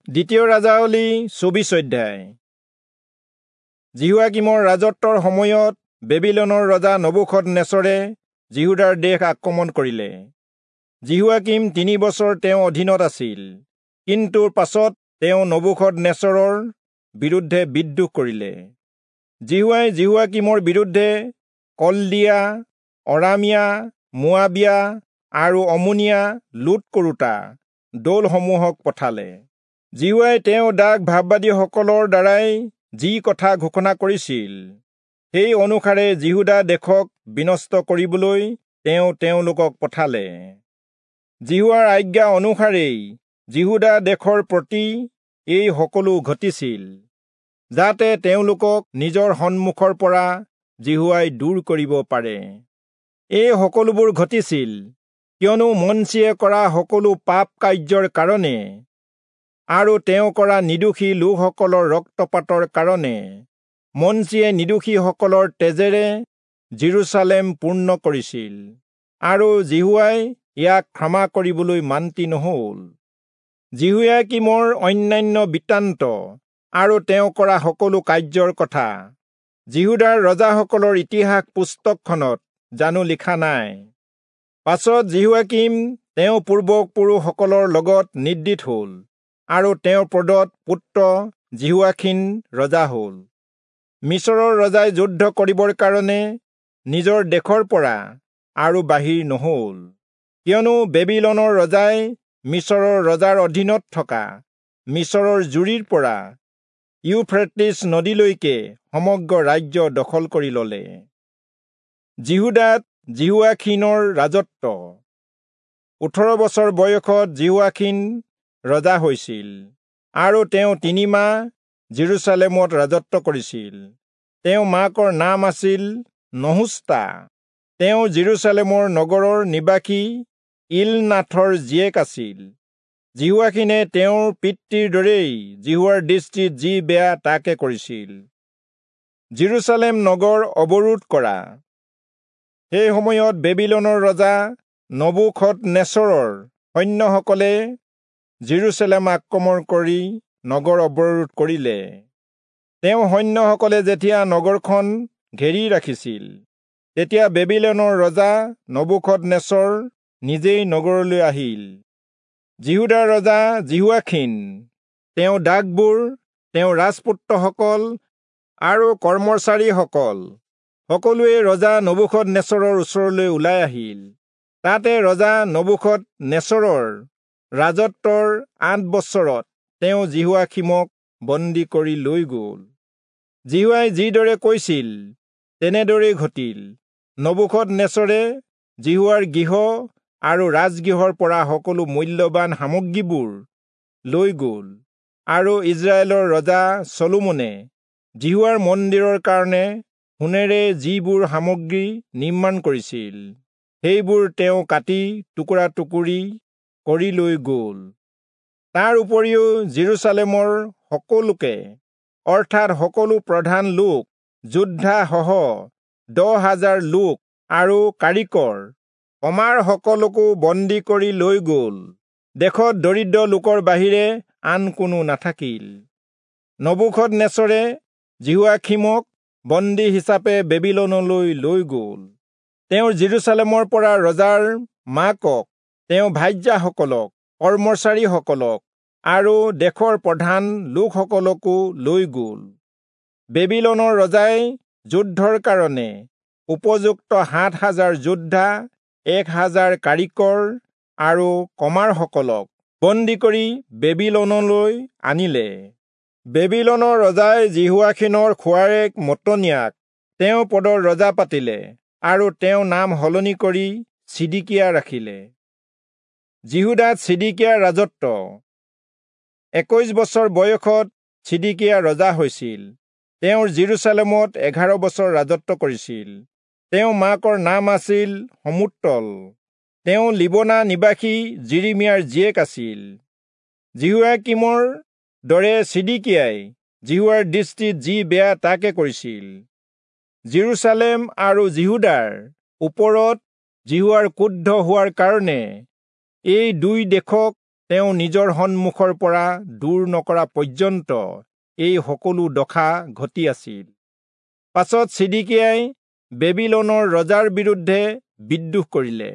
দ্বিতীয় ৰাজাৱলী 24 অধ্যায়। যিহোয়াকীমৰ ৰাজত্বৰ সময়ত বেবিলনৰ ৰজা নবূখদনেচৰে যিহূদাৰ দেশ আক্ৰমণ কৰিলে। যিহোয়াকীম 3 বছৰ তেওঁ অধীনত আছিল, কিন্তু পাছত তেওঁ নবূখদনেচৰৰ বিৰুদ্ধে বিদ্ৰোহ কৰিলে। যিহোৱাই যিহোয়াকীমৰ বিৰুদ্ধে কলদিয়া, অৰামিয়া, মোৱাবিয়া আৰু অমোনিয়া লুট কৰোঁতা দলসমূহক পঠালে। যিহোৱাই তেওঁ দাস ভাববাদীসকলৰ দ্বাৰাই যি কথা ঘোষণা কৰিছিল, সেই অনুসাৰে যিহূদা দেশক বিনষ্ট কৰিবলৈ তেওঁ তেওঁলোকক পঠালে। যিহোৱাৰ আজ্ঞা অনুসাৰেই যিহূদা দেশৰ প্ৰতি এই সকলো ঘটিছিল, যাতে তেওঁলোকক নিজৰ সন্মুখৰ পৰা যিহোৱাই দূৰ কৰিব পাৰে। এই সকলোবোৰ ঘটিছিল কিয়নো মনচিয়ে কৰা সকলো পাপ কাৰ্যৰ কাৰণে আৰু তেওঁ কৰা নিৰ্দোষী লোকসকলৰ ৰক্তপাতৰ কাৰণে মনচিয়ে নিৰ্দোষীসকলৰ তেজেৰে যিৰূচালেম পূৰ্ণ কৰিছিল, আৰু যিহোৱাই ইয়াক ক্ষমা কৰিবলৈ মান্তি নহল। যিহোয়াকীমৰ অন্যান্য বৃত্তান্ত আৰু তেওঁ কৰা সকলো কাৰ্যৰ কথা যিহূদাৰ ৰজাসকলৰ ইতিহাস পুস্তকখনত জানো লিখা নাই? পাছত যিহোয়াকীম তেওঁ পূৰ্বপুৰুষসকলৰ লগত নিদ্ৰিত হল, আৰু তেওঁৰ পদত পুত্ৰ যিহোয়াখীন ৰজা হল। মিচৰৰ ৰজাই যুদ্ধ কৰিবৰ কাৰণে নিজৰ দেশৰ পৰা আৰু বাহিৰ নহল, কিয়নো বেবিলনৰ ৰজাই মিচৰৰ ৰজাৰ অধীনত থকা মিচৰৰ জুৰিৰ পৰা ইউফ্ৰেটিছ নদীলৈকে সমগ্ৰ ৰাজ্য দখল কৰি ললে। যিহূদাত যিহোয়াখীনৰ ৰাজত্ব। 18 বছৰ বয়সত যিহোয়াখীন ৰজা হৈছিল, আৰু তেওঁ 3 মাহ যিৰূচালেমত ৰাজত্ব কৰিছিল। তেওঁ মাকৰ নাম আছিল নহুষ্টা। তেওঁ যিৰূচালেমৰ নগৰৰ নিবাসী ইলনাথৰ জীয়েক আছিল। যিহোয়াখীনে তেওঁৰ পিতৃৰ দৰেই যিহোৱাৰ দৃষ্টিত যি বেয়া তাকে কৰিছিল। যিৰূচালেম নগৰ অৱৰোধ কৰা। সেই সময়ত বেবিলনৰ ৰজা নবূখদনেচৰৰ সৈন্যসকলে যিৰূচালেম আক্ৰমণ কৰি নগৰ অৱৰোধ কৰিলে। তেওঁ সৈন্যসকলে যেতিয়া নগৰখন ঘেৰি ৰাখিছিল, তেতিয়া বেবিলনৰ ৰজা নবূখদনেচৰ নিজেই নগৰলৈ আহিল। যিহূদাৰ ৰজা যিহোয়াখীন, তেওঁ দাসবোৰ, তেওঁ ৰাজপুত্ৰসকল আৰু কৰ্মচাৰীসকল সকলোৱে ৰজা নবূখদনেচৰৰ ওচৰলৈ ওলাই আহিল। তাতে ৰজা নবূখদনেচৰৰ ৰাজত্বৰ 8 বছৰত তেওঁ যিহোয়াখীমক বন্দী কৰি লৈ গল। যিহোৱাই যিদৰে কৈছিল তেনেদৰেই ঘটিল। নবূখদনেচৰে যিহোৱাৰ গৃহ আৰু ৰাজগৃহৰ পৰা সকলো মূল্যৱান সামগ্ৰীবোৰ লৈ গল, আৰু ইজৰাইলৰ ৰজা চলোমনে যিহোৱাৰ মন্দিৰৰ কাৰণে সোণেৰে যিবোৰ সামগ্ৰী নিৰ্মাণ কৰিছিল, সেইবোৰ তেওঁ কাটি টুকুৰা টুকুৰি কৰি লৈ গল। তাৰ উপৰিও যিৰূচালেমৰ সকলোকে, অৰ্থাৎ সকলো প্ৰধান লোক, যোদ্ধাসহ 10,000 লোক আৰু কাৰিকৰ কমাৰসকলকো বন্দী কৰি লৈ গল। দেশত দৰিদ্ৰ লোকৰ বাহিৰে আন কোনো নাথাকিল। নবূখদনেচৰে যিহোয়াখীমক বন্দী হিচাপে বেবিলনলৈ লৈ গল। তেওঁ যিৰূচালেমৰ পৰা ৰজাৰ মাকক, তেওঁ ভাৰ্যাসকলক, কৰ্মচাৰীসকলক আৰু দেশৰ প্ৰধান লোকসকলকো লৈ গল। বেবিলনৰ ৰজাই যুদ্ধৰ কাৰণে উপযুক্ত 7,000 যোদ্ধা, 1,000 কাৰিকৰ আৰু কমাৰসকলক বন্দী কৰি বেবিলনলৈ আনিলে। বেবিলনৰ ৰজাই যিহোয়াখীনৰ খুৱাৰেক মত্তনিয়াক তেওঁ পদৰ ৰজা পাতিলে, আৰু তেওঁ নাম সলনি কৰি চিদিকিয়া ৰাখিলে। যিহূদাত চিদিকিয়াৰ ৰাজত্ব। 21 বছৰ বয়সত চিদিকিয়া ৰজা হৈছিল। তেওঁৰ যিৰূচালেমত 11 বছৰ ৰাজত্ব কৰিছিল। তেওঁ মাকৰ নাম আছিল সমুত্তল। তেওঁ লিবনা নিবাসী যিৰিমিয়াৰ জীয়েক আছিল। যিহোয়াকীমৰ দৰে চিদিকিয়াই যিহোৱাৰ দৃষ্টিত যি বেয়া তাকে কৰিছিল। যিৰূচালেম আৰু যিহূদাৰ ওপৰত যিহোৱাৰ ক্ৰুদ্ধ হোৱাৰ কাৰণে এই দুই দেশক তেওঁ নিজৰ সন্মুখৰ পৰা দূৰ নকৰা পৰ্যন্ত এই সকলো দশা ঘটি আছিল। পাছত চিদিকিয়াই বেবিলনৰ ৰজাৰ বিৰুদ্ধে বিদ্ৰোহ কৰিলে।